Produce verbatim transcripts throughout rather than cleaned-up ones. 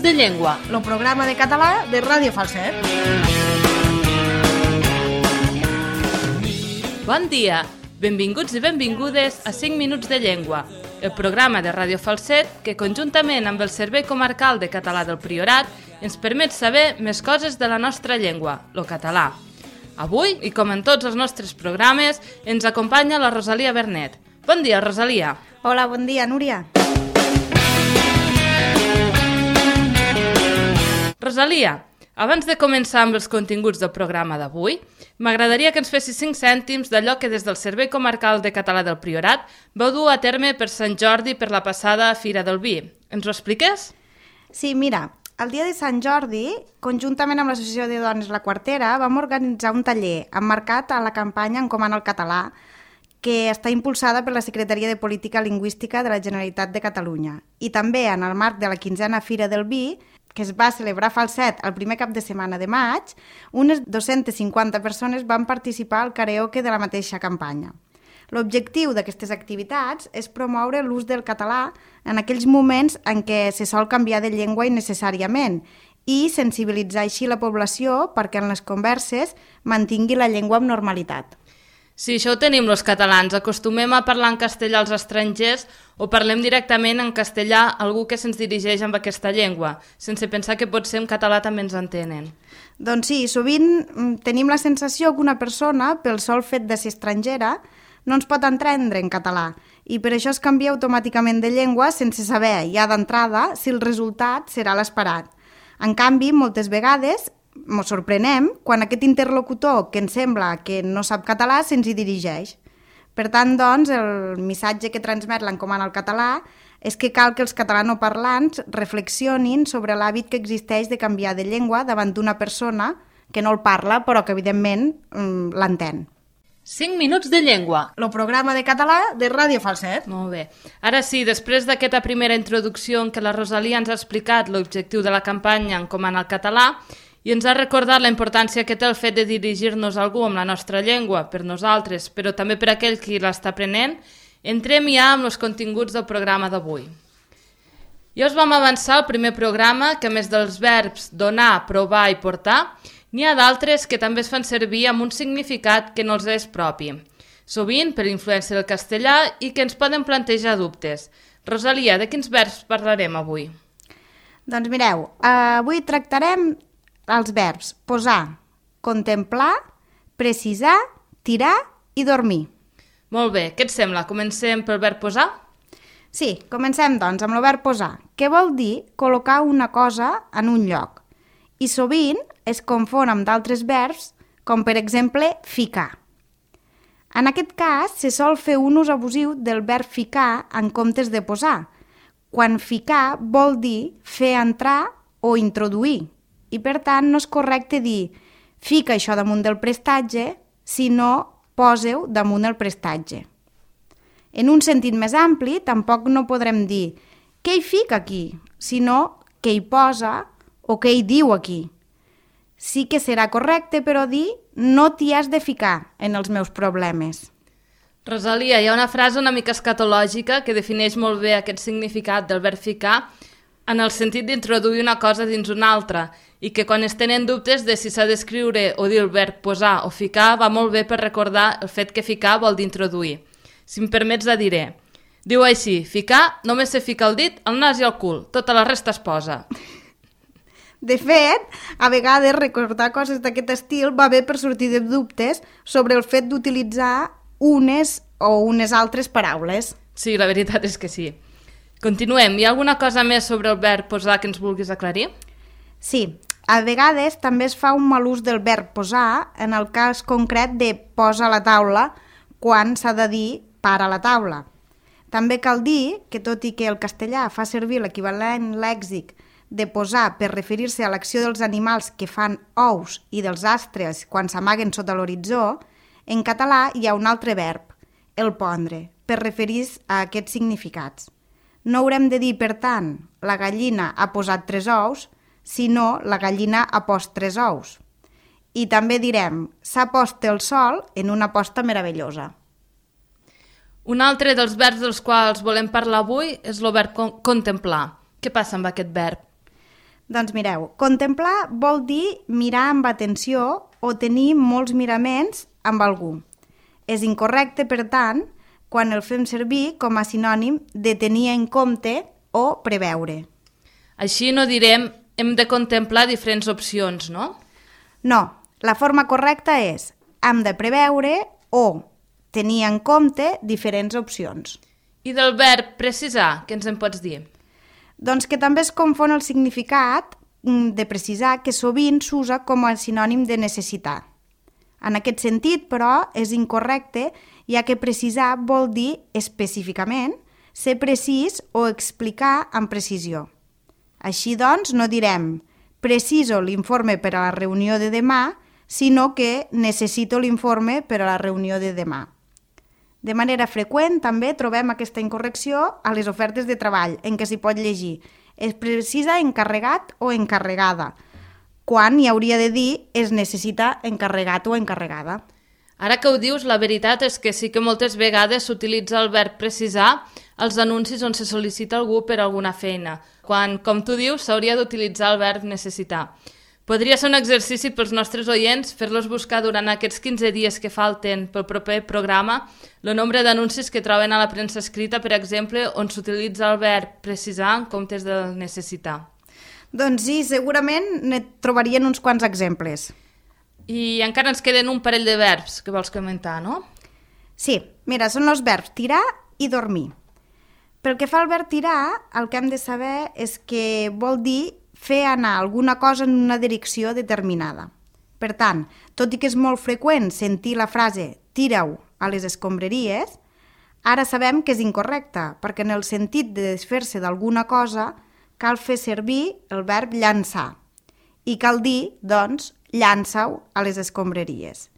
de llengua, el programa de català de Ràdio Falset. Bon dia, benvinguts i benvingudes a cinc minuts de llengua, el programa de Ràdio Falset que conjuntament amb el Servei Comarcal de Català del Priorat ens permet saber més coses de la nostra llengua, el català. Avui, i com en tots els nostres programes, ens acompanya la Rosalia Bernet. Bon dia, Rosalia. Hola, bon dia, Núria. Rosalia, abans de començar amb els continguts del programa d'avui, m'agradaria que ens fessis cinc cèntims d'allò que des del Servei Comarcal de Català del Priorat vau dur a terme per Sant Jordi per la passada Fira del Vi. Ens ho expliques? Sí, mira, el dia de Sant Jordi, conjuntament amb l'Associació de Dones La Quartera, vam organitzar un taller emmarcat a la campanya Encomana el Català, que està impulsada per la Secretaria de Política Lingüística de la Generalitat de Catalunya. I també en el marc de la quinzena Fira del Vi, que es va celebrar a Falset el primer cap de setmana de maig, unes dues-centes cinquanta persones van participar al karaoke de la mateixa campanya. L'objectiu d'aquestes activitats és promoure l'ús del català en aquells moments en què se sol canviar de llengua innecessàriament i sensibilitzar així la població perquè en les converses mantingui la llengua amb normalitat. Sí, això ho tenim els catalans. Acostumem a parlar en castellà als estrangers o parlem directament en castellà a algú que se'ns dirigeix amb aquesta llengua, sense pensar que potser en català també ens entenen. Doncs sí, sovint tenim la sensació que una persona, pel sol fet de ser estrangera, no ens pot entendre en català i per això es canvia automàticament de llengua sense saber, ja d'entrada, si el resultat serà l'esperat. En canvi, moltes vegades ens sorprenem quan aquest interlocutor que ens sembla que no sap català se'ns hi dirigeix. Per tant, doncs, el missatge que transmet l'Encomana al Català és que cal que els catalanoparlants reflexionin sobre l'hàbit que existeix de canviar de llengua davant d'una persona que no el parla però que, evidentment, l'entén. cinc minuts de llengua, el programa de català de Ràdio Falset. Molt bé. Ara sí, després d'aquesta primera introducció en què la Rosalia ens ha explicat l'objectiu de la campanya Encomana al Català, i ens ha recordat la importància que té el fet de dirigir-nos a algú amb la nostra llengua, per nosaltres, però també per aquell qui l'està aprenent, entrem ja amb els continguts del programa d'avui. Ja us vam avançar al primer programa que, a més dels verbs donar, provar i portar, n'hi ha d'altres que també es fan servir amb un significat que no els és propi, sovint per influència del castellà i que ens poden plantejar dubtes. Rosalia, de quins verbs parlarem avui? Doncs mireu, avui tractarem els verbs posar, contemplar, precisar, tirar i dormir. Molt bé, què et sembla? Comencem pel verb posar? Sí, comencem doncs amb el verb posar, que vol dir col·locar una cosa en un lloc. I sovint es confon amb d'altres verbs, com per exemple ficar. En aquest cas se sol fer un ús abusiu del verb ficar en comptes de posar, quan ficar vol dir fer entrar o introduir. I per tant no és correcte dir fica això damunt del prestatge, sinó poseu damunt el prestatge. En un sentit més ampli, tampoc no podrem dir què hi fica aquí, sinó què hi posa o què hi diu aquí. Sí que serà correcte, però dir no t'hi has de ficar en els meus problemes. Rosalia, hi ha una frase una mica escatològica que defineix molt bé aquest significat del verb ficar en el sentit d'introduir una cosa dins una altra i que quan es tenen dubtes de si s'ha d'escriure o dir el verb posar o ficar va molt bé per recordar el fet que ficar vol dir introduir. Si em permets la diré. Diu així, ficar només se fica el dit, el nas i el cul, tota la resta es posa. De fet, a vegades recordar coses d'aquest estil va bé per sortir de dubtes sobre el fet d'utilitzar unes o unes altres paraules. Sí, la veritat és que sí. Continuem. Hi ha alguna cosa més sobre el verb posar que ens vulguis aclarir? Sí. A vegades també es fa un mal ús del verb posar en el cas concret de posa a la taula quan s'ha de dir para a la taula. També cal dir que, tot i que el castellà fa servir l'equivalent lèxic de posar per referir-se a l'acció dels animals que fan ous i dels astres quan s'amaguen sota l'horitzó, en català hi ha un altre verb, el pondre, per referir-se a aquests significats. No haurem de dir, per tant, la gallina ha posat tres ous, sinó la gallina ha post tres ous. I també direm, s'ha post el sol en una posta meravellosa. Un altre dels verbs dels quals volem parlar avui és el verb contemplar. Què passa amb aquest verb? Doncs mireu, contemplar vol dir mirar amb atenció o tenir molts miraments amb algú. És incorrecte, per tant, quan el fem servir com a sinònim de tenir en compte o preveure. Així no direm hem de contemplar diferents opcions, no? No, la forma correcta és hem de preveure o tenir en compte diferents opcions. I del verb precisar, què ens en pots dir? Doncs que també es confon el significat de precisar, que sovint s'usa com a sinònim de necessitar. En aquest sentit, però, és incorrecte, ja que precisar vol dir específicament ser precís o explicar amb precisió. Així doncs, no direm preciso l'informe per a la reunió de demà, sinó que necessito l'informe per a la reunió de demà. De manera freqüent també trobem aquesta incorrecció a les ofertes de treball, en què s'hi pot llegir es precisa encarregat o encarregada, quan hi hauria de dir es necessita encarregat o encarregada. Ara que ho dius, la veritat és que sí que moltes vegades s'utilitza el verb precisar als anuncis on se sol·licita algú per alguna feina, quan, com tu dius, s'hauria d'utilitzar el verb necessitar. Podria ser un exercici pels nostres oients fer-los buscar durant aquests quinze dies que falten pel proper programa el nombre d'anuncis que troben a la premsa escrita, per exemple, on s'utilitza el verb precisar en comptes de necessitar. Doncs sí, segurament ne trobarien uns quants exemples. I encara ens queden un parell de verbs que vols comentar, no? Sí, mira, són els verbs tirar i dormir. Pel que fa al verb tirar, el que hem de saber és que vol dir fer anar alguna cosa en una direcció determinada. Per tant, tot i que és molt freqüent sentir la frase «tira-ho a les escombraries», ara sabem que és incorrecta, perquè en el sentit de desfer-se d'alguna cosa cal fer servir el verb llançar. I cal dir, doncs, llança-ho a les escombraries.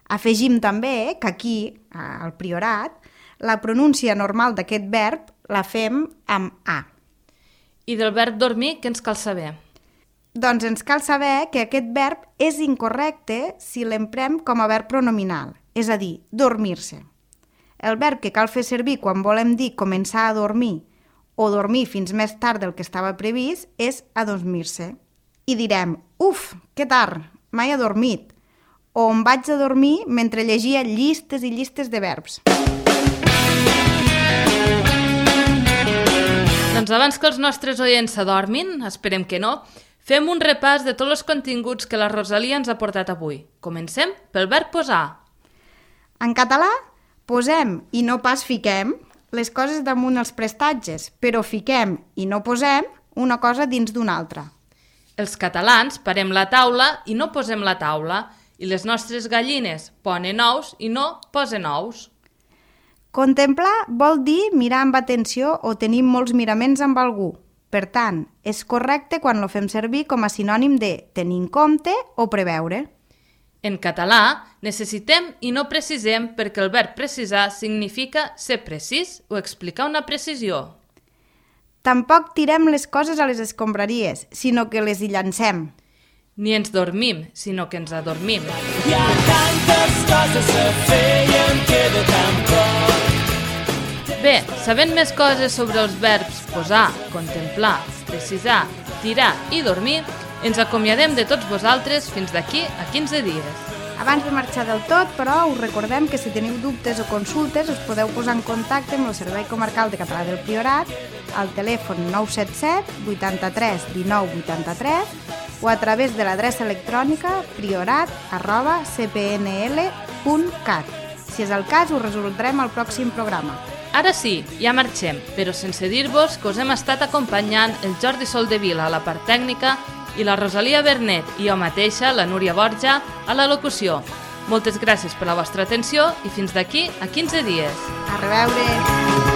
Afegim també que aquí, al Priorat, la pronúncia normal d'aquest verb la fem amb A. I del verb dormir, què ens cal saber? Doncs ens cal saber que aquest verb és incorrecte si l'emprem com a verb pronominal, és a dir, dormir-se. El verb que cal fer servir quan volem dir començar a dormir o dormir fins més tard del que estava previst és adormir-se. I direm, uf, que tard, mai he dormit, o em vaig a dormir mentre llegia llistes i llistes de verbs. Doncs abans que els nostres oients s'adormin, esperem que no, fem un repàs de tots els continguts que la Rosalia ens ha portat avui. Comencem pel verb posar. En català, posem i no pas fiquem les coses damunt els prestatges, però fiquem i no posem una cosa dins d'una altra. Els catalans parem la taula i no posem la taula, i les nostres gallines ponen ous i no posen ous. Contemplar vol dir mirar amb atenció o tenir molts miraments amb algú. Per tant, és correcte quan lo fem servir com a sinònim de tenir en compte o preveure. En català, necessitem i no precisem perquè el verb precisar significa ser precís o explicar una precisió. Tampoc tirem les coses a les escombraries, sinó que les hi llancem. Ni ens dormim, sinó que ens adormim. Hi ha tantes coses a fer i em queda tan poc. Bé, sabent més coses sobre els verbs posar, contemplar, precisar, tirar i dormir, ens acomiadem de tots vosaltres fins d'aquí a quinze dies. Abans de marxar del tot, però, us recordem que si teniu dubtes o consultes us podeu posar en contacte amb el Servei Comarcal de Català del Priorat al telèfon nou set set vuitanta-tres dinou vuitanta-tres o a través de l'adreça electrònica priorat arroba c p n l punt cat. Si és el cas, us resoldrem al pròxim programa. Ara sí, ja marxem, però sense dir-vos que us hem estat acompanyant el Jordi Soldevila a la part tècnica i la Rosalia Bernet i jo mateixa, la Núria Borja, a la locució. Moltes gràcies per la vostra atenció i fins d'aquí a quinze dies. A reveure!